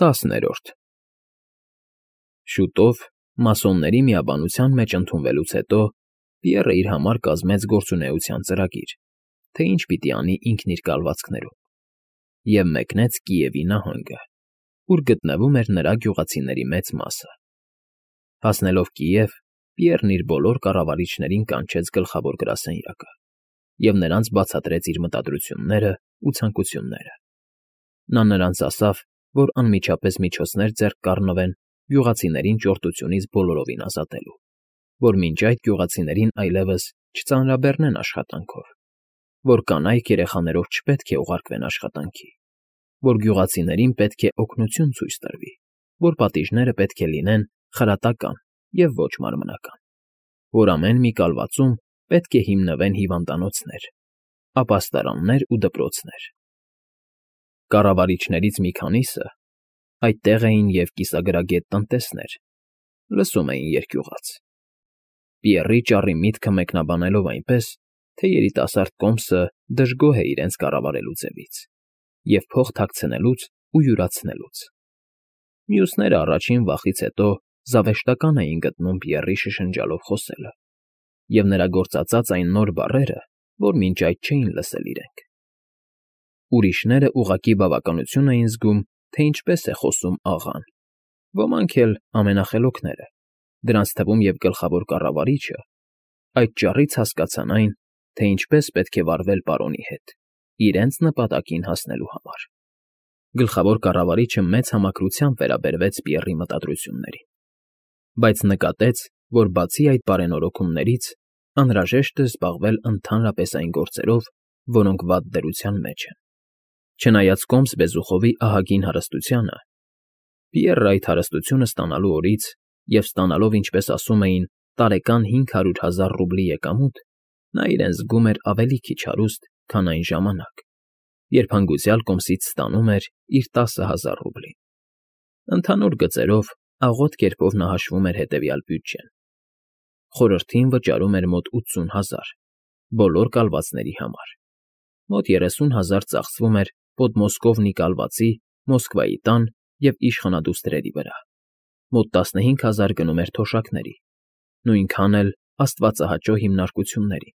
10-րդ Շուտով, մասոնների միաբանության մեջ ընդունվելուց հետո, Պիեռը իր համար կազմեց գործունեության ծրագիր, թե ինչ պիտի անի ինքն իր կալվածքներում, և մեկնեց Կիևի նահանգը, ուր գտնվում էր նրա գյուղացիների մեծ մասը։ Հասնելով Կիև, Պիեռն իր բոլոր կառավարիչներին կանչեց գլխավոր գրասենյակը և նրանց բացատրեց իր մտադրություններն ու ցանկությունները։ Նա նրանց ասավ, որ անմիջապես միջոցներ ձեռք կառնվեն գյուղացիներին ճորտությունից բոլորովին ազատելու, որ մինչ այդ գյուղացիներին այլևս չծանրաբեռնեն աշխատանքով, որ կանայք երեխաներով չպետք է ուղարկվեն աշխատանքի, որ գյուղացիներին պետք է օգնություն ցույց տրվի, որ պատիժները պետք է լինեն խրատական և ոչ մարմնական, որ ամեն մի կալվածում պետք է հիմնվեն հիվանդանոցներ, ապաստարաններ ու դպրոցներ։ Կառավարիչներից մի քանիսը, այդտեղ էին և կիսագրագետ տնտեսներ, լսում էին երկյուղած։ Պիեռի ճառի միտքը մեկնաբանելով այնպես, թե երիտասարդ կոմսը դժգոհ է իրենց կառավարելու ձևից և փող թաքցնելուց ու յուրացնելուց։ Մյուսները առաջին վախից հետո զավեշտական էին գտնում Պիեռի շշնջալով խոսելը և նրա գործածած այն նոր բառերը, որ մինչ այդ չէին լսել իրենք։ Ուրիշները ուղղակի բավականություն էին զգում, թե ինչպես է խոսում աղան, ոմանք էլ ամենախելոքները, դրանց թվում և գլխավոր կառավարիչը, այդ ճառից հասկացան այն, թե ինչպես պետք է վարվել պարոնի հետ, իրենց նպատակին հասնելու համար։ Գլխավոր կառավարիչը մեծ համակրությամբ վերաբերվեց Պիեռի մտադրություններին, բայց նկատեց, որ բացի այդ բարենորոգումներից անհրաժեշտ է զբաղվել ընդհանրապես այն գործերով, որոնք վատ դրության մեջ են։ Չնայած կոմս Բեզուխովի ահագին հարստությանը, Պիեռը այդ հարստությունը ստանալու օրից և ստանալով, ինչպես ասում էին, տարեկան 500,000 ռուբլի եկամուտ, նա իրեն զգում էր ավելի քիչ հարուստ, քան այն ժամանակ, երբ հանգուցյալ կոմսից ստանում էր իր 10,000 ռուբլին։ Ընդհանուր գծերով, աղոտ կերպով նա հաշվում էր հետևյալ բյուջեն. խորհրդին վճարում էր մոտ 80,000 բոլոր կալվածների համար, մոտ 30,000 ծախսվում էր Պոդմոսկովնի կալվածի, Մոսկվայի տան և իշխանադուստրերի վրա, մոտ 15,000 գնում էր թոշակների, նույնքան էլ աստվածահաճո հիմնարկությունների։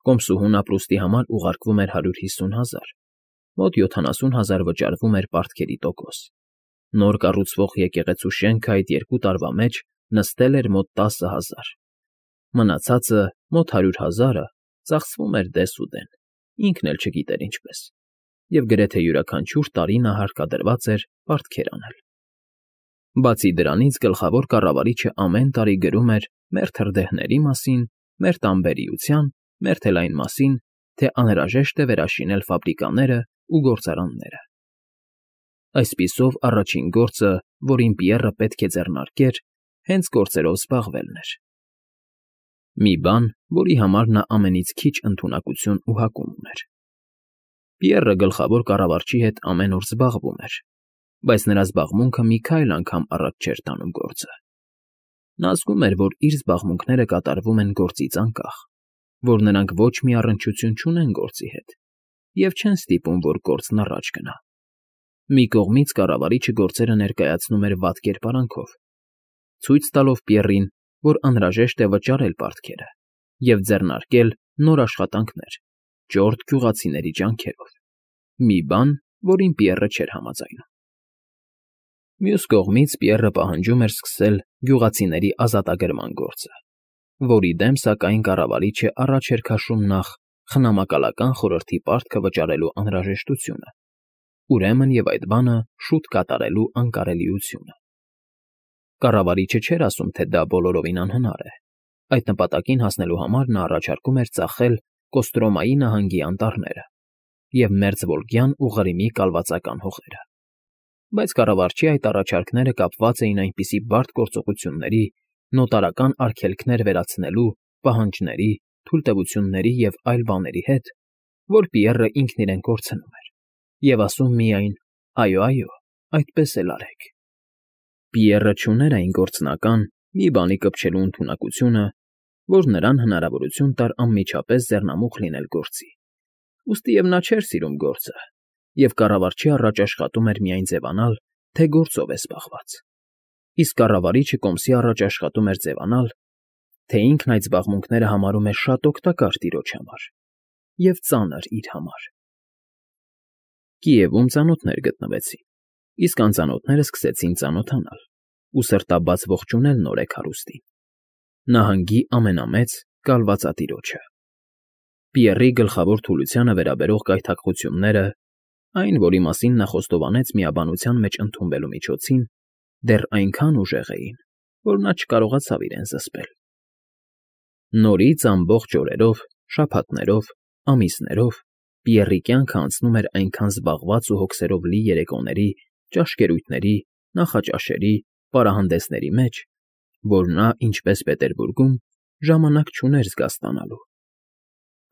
Կոմսուհուն ապրուստի համար ուղարկվում էր 150,000, մոտ 70,000 վճարվում էր պարտքերի տոկոս։ Նոր կառուցվող եկեղեցու շենքը այդ 2 տարվա մեջ նստել էր մոտ 10,000, մնացածը մոտ 100,000-ը ծախսվում էր դես ու դեն, ինքն էլ չգիտեր ինչպես, և գրեթե յուրաքանչյուր տարի նա հարկադրված էր պարտքեր անել։ Բացի դրանից գլխավոր կառավարիչը ամեն տարի գրում էր մեր թրդեհների մասին, մեր տանբերիության, մեր էլ այն մասին, թե անհրաժեշտ է վերաշինել ֆաբրիկաները ու գործարանները։ Այսպիսով առաջին գործը, որին Պիեռը պետք է ձեռնարկեր, հենց գործերով զբաղվելն էր։ Մի բան, որի համար նա ամենից քիչ ընդունակություն ու հակում ուներ։ Պիեռը գլխավոր կառավարչի հետ ամեն օր զբաղվում էր, բայց նրա զբաղմունքը մի քայլ անգամ առաջ չէր տանում գործը։ Նա զգում էր, որ իր զբաղմունքները կատարվում են գործից անկախ, որ նրանք ոչ մի առնչություն չունեն գործի հետ և չեն ստիպում, որ գործն առաջ գնա։ Մի կողմից կառավարիչը գործերը ներկայացնում էր վատ կերպարանքով, ցույց տալով Պիեռին, որ անհրաժեշտ է վճարել պարտքերը և ձեռնարկել նոր աշխատանքներ, ճորտ գյուղացիների ջանքերով, մի բան, որին Պիեռը չէր համաձայնում։ Մյուս կողմից Պիեռը պահանջում էր սկսել գյուղացիների ազատագրման գործը, որի դեմ, սակայն, կառավարիչը առաջ էր քաշում նախ խնամակալական խորհրդի պարտքը վճարելու անհրաժեշտությունը, ուրեմն և այդ բանը շուտ կատարելու անկարելիությունը։ Կառավարիչը չէր ասում, թե դա բոլորովին անհնար է։ Այդ նպատակին հասնելու համար նա առաջարկում էր ծախել Կոստրոմայի նահանգի անտառները և Մերձվոլգյան ու Ղրիմի կալվածական հողերը։ Բայց կառավարչի այդ առաջարկները կապված էին այնպիսի բարդ գործողությունների, նոտարական արգելքներ վերացնելու, պահանջների, թույլտվությունների և այլ բաների հետ, որ Պիեռը ինքն իրեն կորցնում էր և ասում միայն. «Այո, այո, այդպես էլ արեք»։ Պիեռը չուներ այն գործնական, մի բանի կպչելու ընդունակությունը, որ նրան հնարավորություն տար անմիջապես ձեռնամուխ լինել գործի։ Ուստի և նա չէր սիրում գործը, և կառավարչի առաջ աշխատում էր միայն ձևանալ, թե գործով է զբաղված, իսկ կառավարիչը կոմսի առաջ աշխատում էր ձևանալ, թե ինքն այդ զբաղմունքները համարում է շատ օգտակար տիրոջ համար և ծանր իր համար։ Կիևում ծանոթներ գտնվեցին, իսկ անծանոթները սկսեցին ծանոթանալ ու սրտաբաց ողջունել նորեկ հարուստին, նահանգի ամենամեծ կալվածատիրոջը։ Պիեռի գլխավոր թուլությանը վերաբերող գայթակղությունները, այն, որի մասին նա խոստովանեց միաբանության մեջ ընդունվելու միջոցին, դեռ այնքան ուժեղ էին, որ նա չկարողացավ իրեն զսպել։ Նորից ամբողջ օրերով, շաբաթներով, ամիսներով Պիեռի կյանքը անցնում էր այնքան զբաղված ու հոգսերով լի երեկոների, ճաշկերույթների, նախաճաշերի, պարահանդեսների մեջ, որ նա, ինչպես Պետերբուրգում, ժամանակ չուներ զգա ստանալու։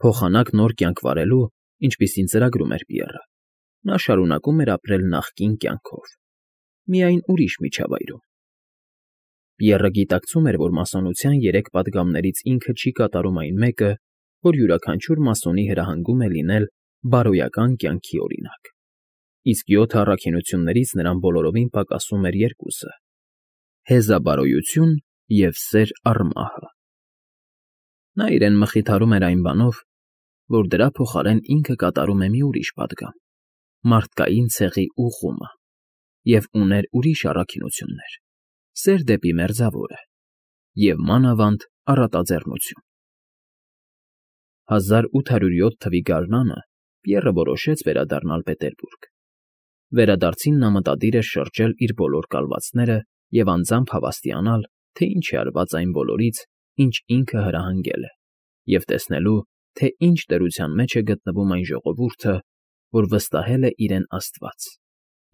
Փոխանակ նոր կյանք վարելու, ինչպիսին ծրագրում էր Պիեռը, նա շարունակում էր ապրել նախկին կյանքով, միայն ուրիշ միջավայրում։ Պիեռը գիտակցում էր, որ մասոնության 3 պատգամներից ինքը չի կատարում այն մեկը, որ յուրաքանչյուր մասոնի հրահանգում է լինել բարոյական կյանքի օրինակ, իսկ 7 առաքինություններից նրան բոլորովին պակասում էր 2-ը՝ հեզաբարոյություն և սեր առ մահը։ Նա իրեն մխիթարում էր այն բանով, որ դրա փոխարեն ինքը կատարում է մի ուրիշ պատգամ՝ մարդկային ցեղի ուղղումը, և ուներ ուրիշ առաքինություններ՝ սեր դեպի Մերձավորը և մանավանդ առատաձեռնություն։ 1807 թվականի գարնանը Պիեռը որոշեց վերադառնալ Պետերբուրգ։ Վերադարձին նա մտադիր էր շրջել իր բոլոր կալվածները և անձամբ հավաստիանալ, թե ինչ է արված այն բոլորից, ինչ ինքը հրահանգել է, և տեսնելու, թե ինչ դրության մեջ է գտնվում այն ժողովուրդը, որ վստահել է իրեն Աստված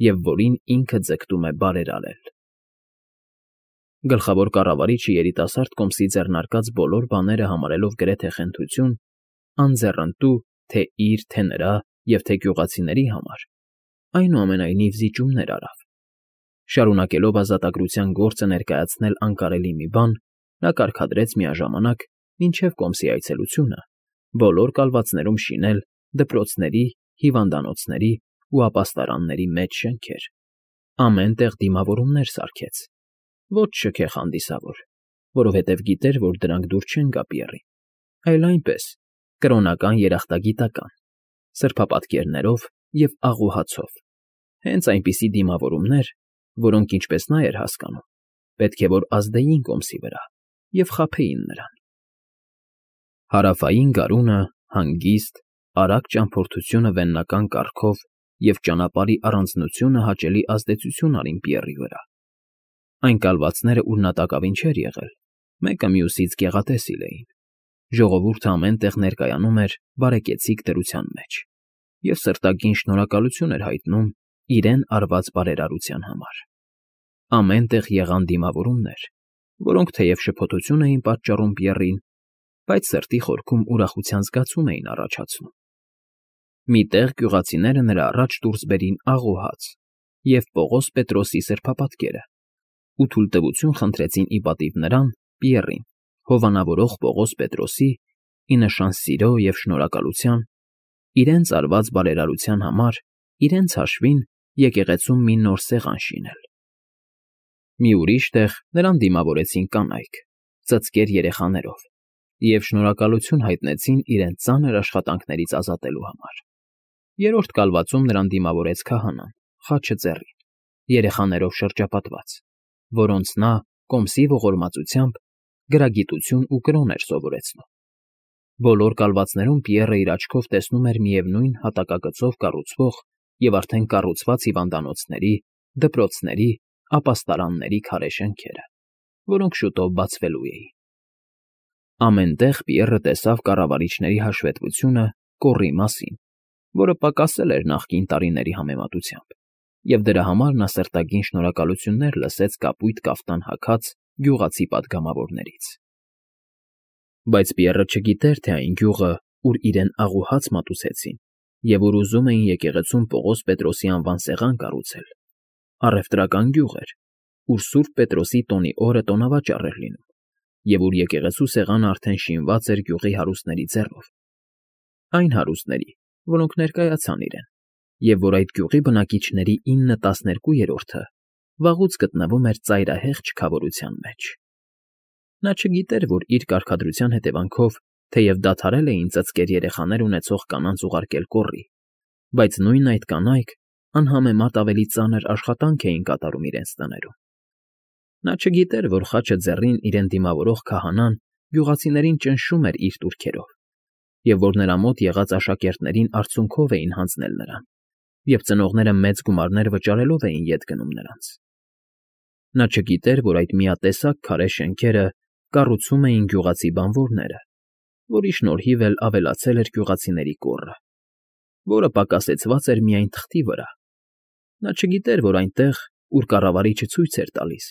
և որին ինքը ձգտում է բարերարել։ Գլխավոր կառավարիչը երիտասարդ կոմսի ձեռնարկած բոլոր բաները համարելով գրեթե խենթություն, անձեռնտու թե իր, թե նրա և թե գյուղացիների համար, այնուամենայնիվ զիջումներ արավ։ Շարունակելով ազատագրության գործը ներկայացնել անկարելի մի բան, նա կարգադրեց միաժամանակ, մինչև կոմսի այցելությունը, բոլոր կալվածներում շինել դպրոցների, հիվանդանոցների ու ապաստարանների մեծ շենքեր, ամեն տեղ դիմավորումներ սարքեց, ոչ շքեղ հանդիսավոր, որովհետև գիտեր, որ դրանք դուր չեն գա Պիեռին, այլ այնպես, կրոնական երախտագիտական, սրբապատկերներով և աղուհացով, հենց այնպիսի դիմավորումներ, որոնք, ինչպես նա էր հասկանում, պետք է որ ազդեին կոմսի վրա և խաբեին նրան։ Հարավային գարունը, հանգիստ, արագ ճամփորդությունը վեննական կառքով և ճանապարհի առանձնությունը հաճելի ազդեցություն արին Պիեռի վրա։ Այն կալվածները, ուր նա տակավին չէր եղել, մեկը մյուսից գեղատեսիլ էին, ժողովուրդը ամեն տեղ ներկայանում էր բարեկեցիկ դրության մեջ և սրտագին շնորհակալություն էր հայտնում իրեն արված բարերարության համար։ Ամեն տեղ եղան դիմավորումներ, որոնք թեև շփոթություն էին պատճառում Պիեռին, բայց սրտի խորքում ուրախության զգացում էին առաջացնում։ Մի տեղ գյուղացիները նրա առաջ դուրս բերին աղոհաց և Պողոս Պետրոսի սրբապատկերը ու թույլտվություն խնդրեցին ի պատիվ նրան, Պիեռին, հովանավորող Պողոս Պետրոսի, ի նշան սիրո և շնորհակալության, իրենց արված բարերարության համար իրենց հաշվին եկեղեցում մի նոր սեղան շինել։ Մի ուրիշ տեղ նրան դիմավորեցին կանայք, ծծկեր երեխաներով և շնորհակալություն հայտնեցին իրենց ծանր աշխատանքներից ազատելու համար։ Երրորդ կալվածում նրան դիմավորեց քահանան, խաչը ձեռին, երեխաներով շրջապատված, որոնց նա, կոմսի ողորմածությամբ, գրագիտություն ու կրոն էր սովորեցնում։ Բոլոր կալվածներում Պիեռը իր աչքով տեսնում էր միևնույն հատակագծով կառուցվող և արդեն կառուցված հիվանդանոցների, դպրոցների, ապաստարանների քարե շենքերը, որոնք շուտով բացվելու էին։ Ամեն տեղ Պիեռը տեսավ կառավարիչների հաշվետվությունը կոռի մասին, որը պակասել էր նախկին տարիների համեմատությամբ, և դրա համար նա սրտագին շնորհակալություններ լսեց կապույտ կաֆտան հագած գյուղացի պատգամավորներից։ Բայց Պիեռը չգիտեր, թե այն գյուղը, ուր իրեն աղուհաց մատուցեցին և ուր ուզում էին եկեղեցում Պողոս Պետրոսի անվան սեղան կառուցել, առևտրական գյուղ էր, ուր Սուրբ Պետրոսի տոնի օրը տոնավաճառ էր լինում, և ուր եկեղեցու սեղանը արդեն շինված էր գյուղի հարուստների ձեռով, այն հարուստների, որոնք ներկայացան իրեն, և որ այդ գյուղի բնակիչների 9/12-ը վաղուց գտնվում էր ծայրահեղ չքավորության մեջ։ Նա չգիտեր, որ իր կարգադրության հետևանքով, թեև դադարել էին ծծկեր երեխաներ ունեցող կանանց ուղարկել կոռի, բայց նույն այդ կանայք անհամեմատ ավելի ծանր աշխատանք էին կատարում իրենց տներում։ Նա չգիտեր, որ խաչը ձեռին իրեն դիմավորող քահանան գյուղացիներին ճնշում էր իր տուրքերով, և որ նրա մոտ եղած աշակերտներին արցունքով էին հանձնել նրան, և ծնողները մեծ գումարներ վճարելով էին ետ գնում նրանց։ Նա չգիտեր, որ այդ միատեսակ քարե շենքերը կառուցում էին գյուղացի բանվորները, որի շնորհիվ էլ ավելացել էր գյուղացիների կոռը, որը պակասեցված էր միայն թղթի վրա։ Նա չգիտեր, որ այնտեղ, ուր կառավարիչը ցույց էր տալիս,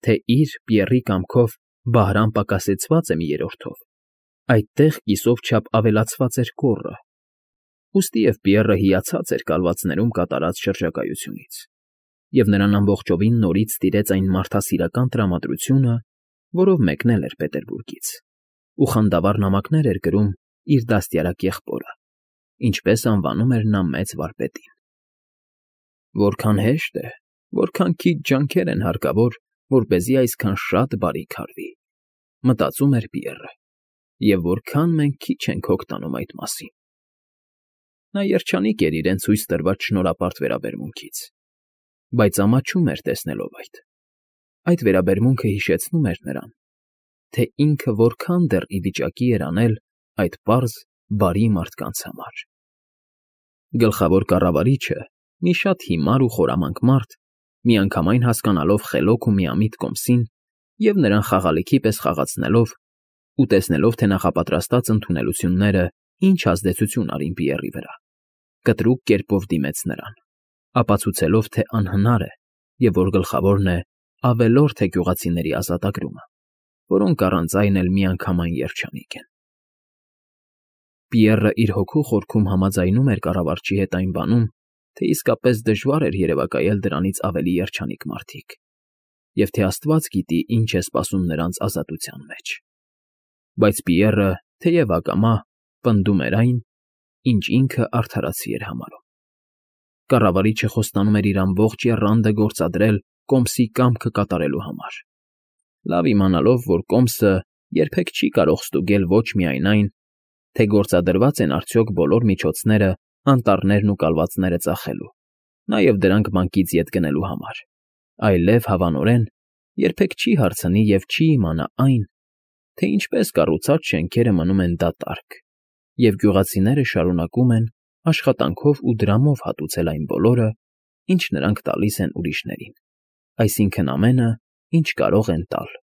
թե իր Պիեռի կամքով Բահրամ պակասեցված է մի երրորդով, այդտեղ կիսով չափ ավելացված էր կոռը։ Ուստի և Պիեռը հիացած էր կալվածներում կատարած շրջագայությունից, և նրան ամբողջովին նորից տիրեց այն մարդասիրական տրամադրությունը, որով մեկնել էր Պետերբուրգից, ու խանդավառ նամակներ էր գրում իր դաստիարակ եղբորը, ինչպես անվանում էր նա մեծ վարպետին։ Որքան հեշտ է, որքան քիչ ջանքեր են հարկավոր, որպեսզի այսքան շատ բարիք արվի, մտածում էր Պիեռը, և որքան մենք քիչ ենք հոգ տանում այդ մասին։ Նա երջանիկ էր իրեն ցույց տրված շնորհապարտ վերաբերմունքից, բայց ամաչում էր տեսնելով այդ։ Այդ վերաբերմունքը հիշեցնում էր նրան, թե ինքը որքան դեռ ի վիճակի էր անել այդ պարզ, բարի մարդկանց համար։ Գլխավոր կառավարիչը, մի շատ հիմար ու խորամանկ մարդ, միանգամայն հասկանալով խելոք ու միամիտ կոմսին և նրան խաղալիքի պես խաղացնելով ու տեսնելով, թե նախապատրաստած ընդունելությունները ինչ ազդեցություն արին Պիեռի վրա, կտրուկ կերպով դիմեց նրան, ապացուցելով, թե անհնար է և որ գլխավորն է ավելորդ է գյուղացիների ազատագրումը, որոնք առանց այն էլ միանգամայն երջանիկ են։ Պիեռը իր հոգու խորքում համաձայնում էր կառավարչի հետ այն բանում, թե իսկապես դժվար էր երևակայել դրանից ավելի երջանիկ մարդիկ, և թե Աստված գիտի, ինչ է սպասում նրանց ազատության մեջ։ Բայց Պիեռը, թեև ակամա, պնդում էր այն, ինչ ինքը արդարացի էր համարում։ Կառավարիչը խոստանում էր իր ամբողջ եռանդը գործադրել կոմսի կամքը կատարելու համար, լավ իմանալով, որ կոմսը երբեք չի կարող ստուգել ոչ միայն այն, թե գործադրված են արդյոք բոլոր միջոցները անտառներն ու կալվածները ծախելու, նաև դրանք բանկից ետ գնելու համար, այլև հավանորեն երբեք չի հարցնի և չի իմանա այն, թե ինչպես կառուցած շենքերը մնում են դատարկ, և գյուղացիները շարունակում են աշխատանքով ու դրամով հատուցել այն բոլորը, ինչ նրանք տալիս են ուրիշներին, այսինքն ամենը, ինչ կարող են տալ